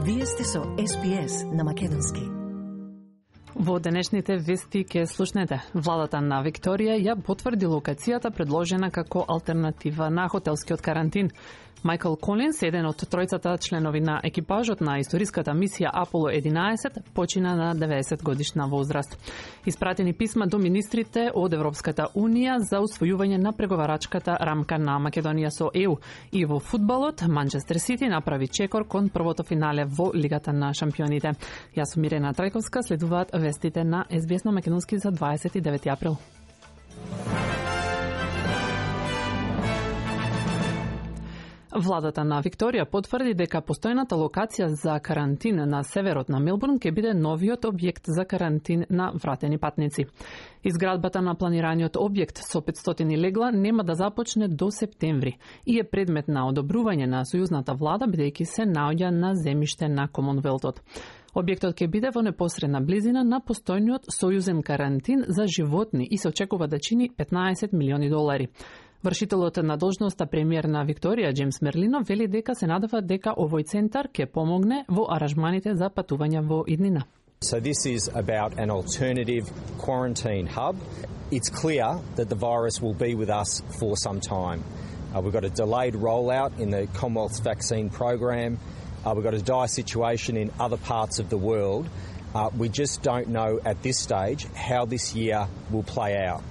Вие сте со SPS на македонски. Во денешните вести ке слушнете. Владата на Викторија ја потврди локацијата предложена како алтернатива на хотелскиот карантин. Майкл Колинс, еден од тројцата членови на екипажот на историската мисија Аполо 11, почина на 90 годишна возраст. Испратени писма до министрите од Европската Унија за усвојување на преговарачката рамка на Македонија со ЕУ. И во фудбалот, Манчестер Сити направи чекор кон првото финале во Лигата на шампионите. Јас сум Мирена Трајковска, следуваат вестите на SBS на македонски за 29 април. Владата на Викторија потврди дека постојната локација за карантин на северот на Мелбурн ќе биде новиот објект за карантин на вратени патници. Изградбата на планираниот објект со 500 легла нема да започне до септември и е предмет на одобрување на сојузната влада бидејќи се наоѓа на земјиште на Комонвелтот. Објектот ќе биде во непосредна близина на постојниот сојузен карантин за животни и се очекува да чини $15 милиони. Вршителот на должноста премиер на Викторија, Джеймс Мерлино, вели дека се надава дека овој центар ќе помогне во аранжманите за патување во иднина. So this is about an alternative quarantine hub. It's clear that the virus will be with us for some time. We've got a delayed rollout in the Commonwealth vaccine program. We've got a dire situation in other parts of the world. We just don't know at this stage how this year will play out.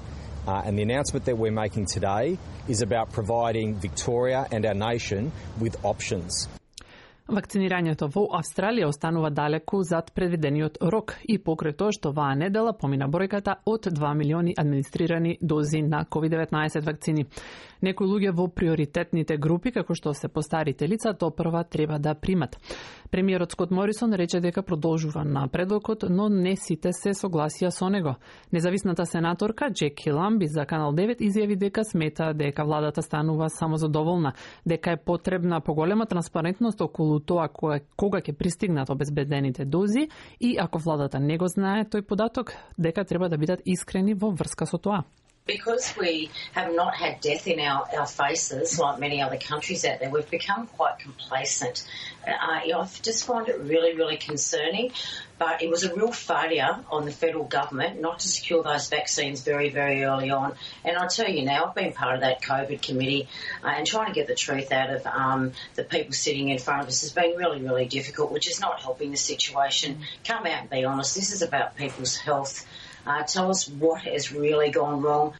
And the announcement that we're making today is about providing Victoria and our nation with options. Вакцинирањето во Австралија останува далеку зад предвидениот рок и покрај тоа што оваа недела помина бројката од 2 милиони администрирани дози на COVID-19 вакцини. Некои луѓе во приоритетните групи, како што се постарите лица, тоа прва треба да примат. Премиерот Скот Морисон рече дека продолжува напредокот, но не сите се согласија со него. Независната сенаторка Джеки Ламби за Канал 9 изјави дека смета дека владата станува самозадоволна, дека е потребна поголема транспарентност околу тоа кога ќе пристигнат обезбедените дози и ако владата не го знае тој податок, дека треба да бидат искрени во врска со тоа. Because we have not had death in our faces like many other countries out there, we've become quite complacent. I just find it really, really concerning. But it was a real failure on the federal government not to secure those vaccines very, very early on. And I'll tell you now, I've been part of that COVID committee and trying to get the truth out of the people sitting in front of us has been really, really difficult, which is not helping the situation. Come out and be honest. This is about people's health. Tell us what has really gone wrong.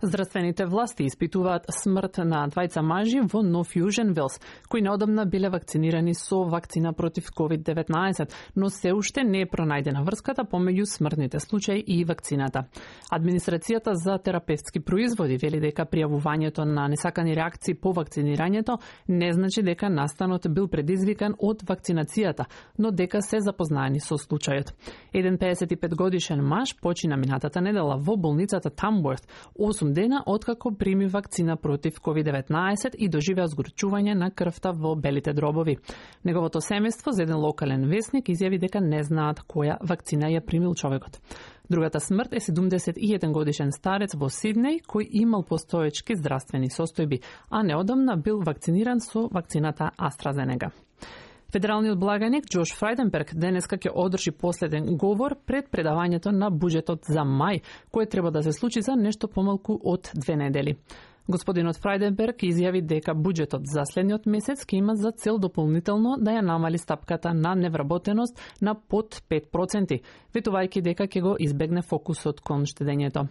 Здравствените власти испитуваат смрт на двајца мажи во Нов Јужен Велс, кои неодамна биле вакцинирани со вакцина против COVID-19, но се уште не е пронајдена врската помеѓу смртните случаи и вакцината. Администрацијата за терапевтски производи вели дека пријавувањето на несакани реакции по вакцинирањето не значи дека настанот бил предизвикан од вакцинацијата, но дека се запознаени со случајот. Еден 55 годишен маж почина минатата недела во болницата Тамворт 8 дена откако прими вакцина против COVID-19 и доживеа згорчување на крвта во белите дробови. Неговото семејство за еден локален весник изјави дека не знаат која вакцина ја примил човекот. Другата смрт е 71 годишен старец во Сиднеј кој имал постоечки здравствени состојби, а неодамна бил вакциниран со вакцината AstraZeneca. Федералниот благаник Джош Фрајденберг денеска ќе одржи последен говор пред предавањето на буџетот за мај, кој треба да се случи за нешто помалку од 2 недели. Господинот Фрајденберг изјави дека буџетот за следниот месец ќе има за цел дополнително да ја намали стапката на невработеност на под 5%, ветувајќи дека ќе го избегне фокусот кон штедењето.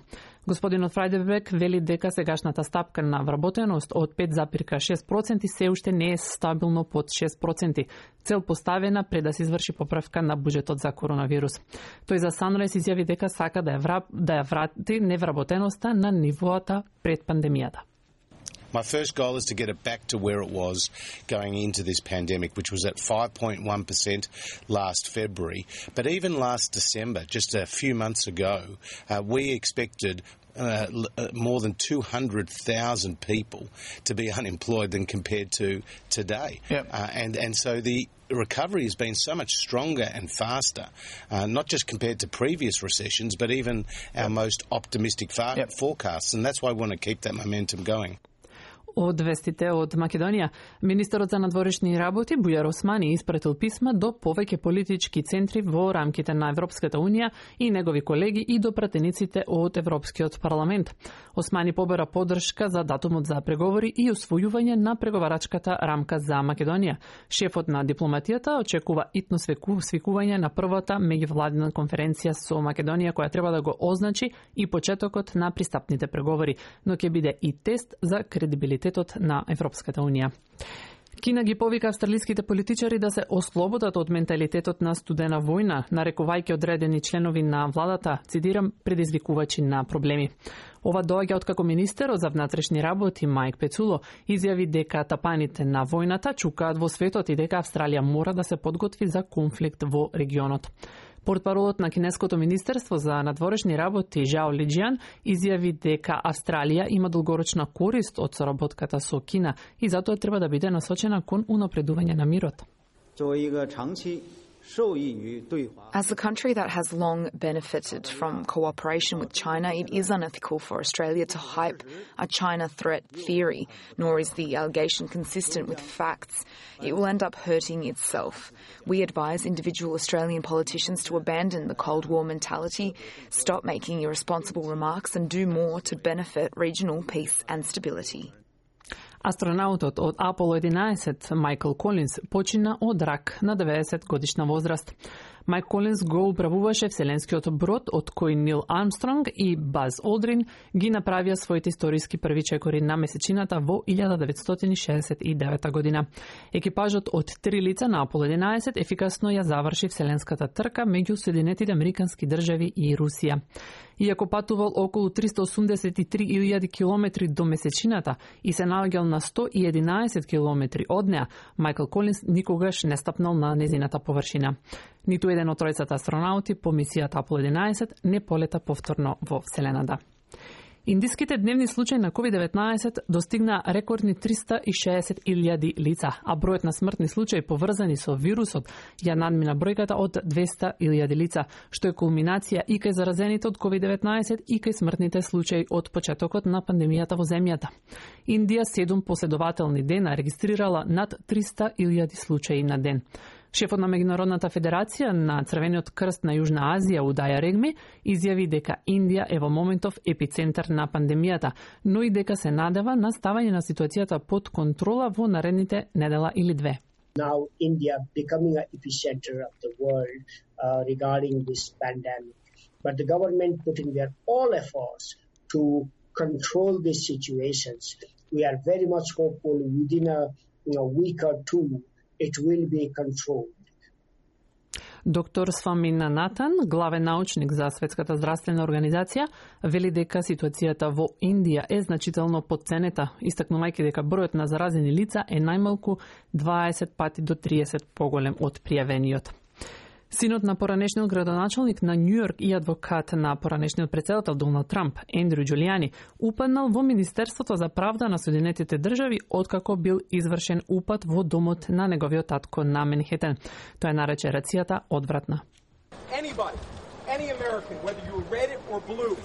Господинот Фрајденберг вели дека сегашната стапка на вработеност од 5,6% се уште не е стабилно под 6%, цел поставена пред да се изврши поправка на буџетот за коронавирус. Тој за Sunrise изјави дека сака да ја врати невработеноста на нивоата пред пандемијата. My first goal is to get it back to where it was going into this pandemic, which was at 5.1% last February. But even last December, just a few months ago, we expected more than 200,000 people to be unemployed than compared to today. Yep. And so the recovery has been so much stronger and faster, not just compared to previous recessions, but even our most optimistic forecasts. And that's why we want to keep that momentum going. Од вестите од Македонија, министерот за надворешни работи Бујар Османи испратил писма до повеќе политички центри во рамките на Европската Унија и негови колеги и до пратениците од Европскиот парламент. Османи побара поддршка за датумот за преговори и усвојување на преговарачката рамка за Македонија. Шефот на дипломатијата очекува итно свикување на првата меѓувладина конференција со Македонија која треба да го означи и почетокот на пристапните преговори, но ќе биде и тест за кредибилитетот на Европската Унија. Кина ги повика австралиските политичари да се ослободат од менталитетот на студена војна, нарекувајќи одредени членови на владата, цитирам, предизвикувачи на проблеми. Ова доаѓа откако министерот за внатрешни работи Мајк Пецуло изјави дека тапаните на војната чукаат во светот и дека Австралија мора да се подготви за конфликт во регионот. Портпаролот на Кинеското министерство за надворешни работи Жао Лиџијан изјави дека Австралија има долгорочна корист од соработката со Кина и затоа треба да биде насочена кон унапредување на мирот. As a country that has long benefited from cooperation with China, it is unethical for Australia to hype a China threat theory, nor is the allegation consistent with facts. It will end up hurting itself. We advise individual Australian politicians to abandon the Cold War mentality, stop making irresponsible remarks, and do more to benefit regional peace and stability. Астронаутот од Apollo 11 Майкл Колинс почина од рак на 90 годишна возраст. Майк Колинс го управуваше вселенскиот брод од кој Нил Армстронг и Баз Олдрин ги направија своите историски први чекори на месечината во 1969 година. Екипажот од 3 лица на Apollo 11 ефикасно ја заврши вселенската трка меѓу Соединетите Американски држави и Русија. Иако патувал околу 383.000 километри до месечината и се наоѓал на 111 километри од неа, Майкл Колинс никогаш не стапнал на незината површина. Ниту еден од тројцата астронаути по мисијата Apollo 11 не полета повторно во Вселената. Индиските дневни случаи на COVID-19 достигна рекордни 360.000 лица, а бројот на смртни случаи поврзани со вирусот ја надмина бројката од 200.000 лица, што е кулминација и кај заразените од COVID-19 и кај смртните случаи од почетокот на пандемијата во земјата. Индија 7 последователни дена регистрирала над 300.000 случаи на ден. Шефот на Меѓународната федерација на Црвениот крст на Јужна Азија Удаја Регми изјави дека Индија е во моментов епицентар на пандемијата, но и дека се надева на ставање на ситуацијата под контрола во наредните недела или две. Now India becoming an epicenter of the world regarding this pandemic, but the government putting their all efforts to control these situations. We are very much hopeful within a week or two it will be controlled. Доктор Свамина Натан, главен научник за Светската здравствена организација, вели дека ситуацијата во Индија е значително потценета, истакнувајќи дека бројот на заразени лица е најмалку 20 пати до 30 поголем од пријавениот. Синот на поранешниот градоначалник на Њујорк и адвокат на поранешниот претседател Доналд Трамп, Ендрю Џулијани, упаднал во Министерството за правда на Соединетите држави откако бил извршен упад во домот на неговиот татко на Манхетен. Тој нарече реакцијата одвратна. Anybody, any American, whether you were red or blue,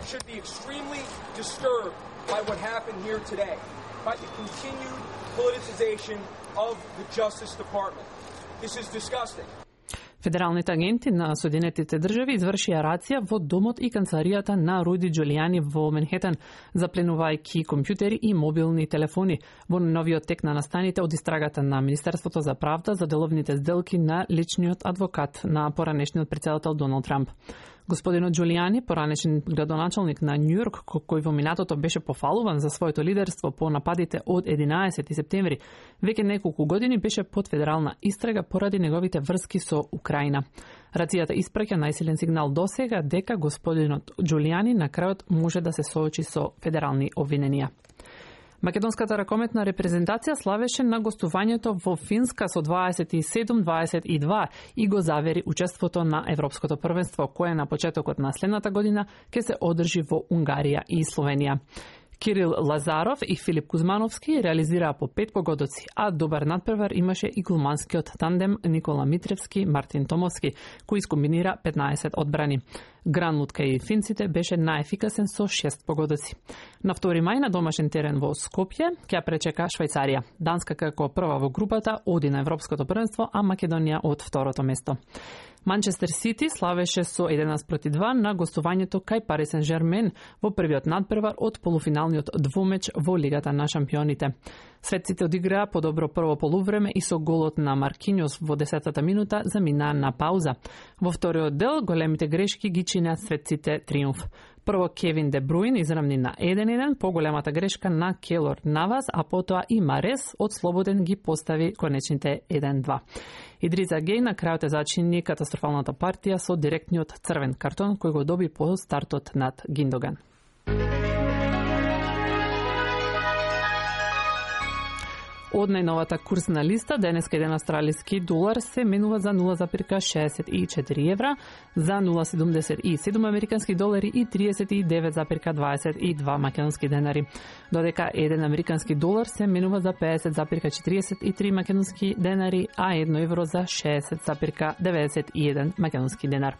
should be extremely disturbed by what happened here today, by the continued politicization of the Justice Department. This is disgusting. Федералните агенти на Соединетите држави извршија рација во домот и канцеларијата на Руди Џулијани во Манхетен, запленувајќи компјутери и мобилни телефони во новиот тек на настаните од истрагата на Министерството за правда за деловните сделки на личниот адвокат на поранешниот претседател Доналд Трамп. Господинот Џулијани, поранешен градоначалник на Њујорк, кој во минатото беше пофалуван за своето лидерство по нападите од 11 септември, веќе неколку години беше под федерална истрага поради неговите врски со Украина. Рацијата испраќа најсилен сигнал досега дека господинот Џулијани на крајот може да се соочи со федерални обвиненија. Македонската ракометна репрезентација славеше на гостувањето во Финска со 27-22 и го завери учеството на Европското првенство, кое на почетокот на следната година ќе се одржи во Унгарија и Словенија. Кирил Лазаров и Филип Кузмановски реализираа по 5 погодоци, а добар надпревар имаше и глуманскиот тандем Никола Митревски-Мартин Томовски, кој искомбинира 15 одбрани. Гранлут кај финците беше најефикасен со 6 погодоци. На 2 мај на домашен терен во Скопје ќе пречека Швајцарија. Данска како прва во групата оди на Европското првенство, а Македонија од второто место. Манчестер Сити славеше со 11-2 на гостувањето кај Пари Сен-Жермен во првиот надпревар од полуфиналниот двумеч во Лигата на шампионите. Светците одиграа подобро прво полувреме и со голот на Маркиньос во 10-та минута заминаа на пауза. Во вториот дел големите грешки ги чинеа светците триумф. Прво Кевин Де Бруин израмни на 1-1 по големата грешка на Келор Навас, а потоа и Марес од слободен ги постави конечните 1-2. Идриза Геј на крајот зачини катастрофалната партија со директниот црвен картон кој го доби по стартот над Гиндоган. Од најновата курсна листа, денеска еден австралиски долар се менува за 0,64 евра, за 0,77 американски долари и 39,22 македонски денари. Додека еден американски долар се менува за 50,43 македонски денари, а 1 евро за 60,91 македонски денар.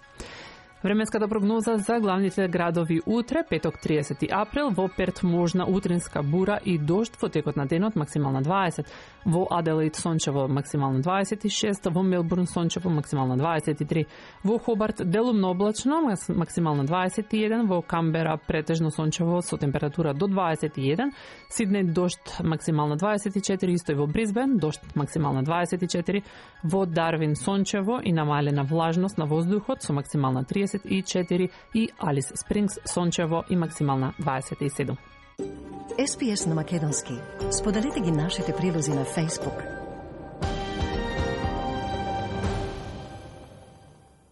Временската прогноза за главните градови утре, петок 30 април, во Перт можна утринска бура и дожд во текот на денот, максимална 20, во Аделаид сончево максимална 26, во Мелбурн сончево максимална 23, во Хобарт делумно облачно максимална 21, во Камбера претежно сончево со температура до 21, Сиднеј дожд максимална 24, исто и во Брисбен дожд максимална 24, во Дарвин сончево и намалена влажност на воздухот со максимална 34 и Алис Спрингс сончево и максимална 27. SPS на македонски. Споделете ги нашите прилози на Facebook,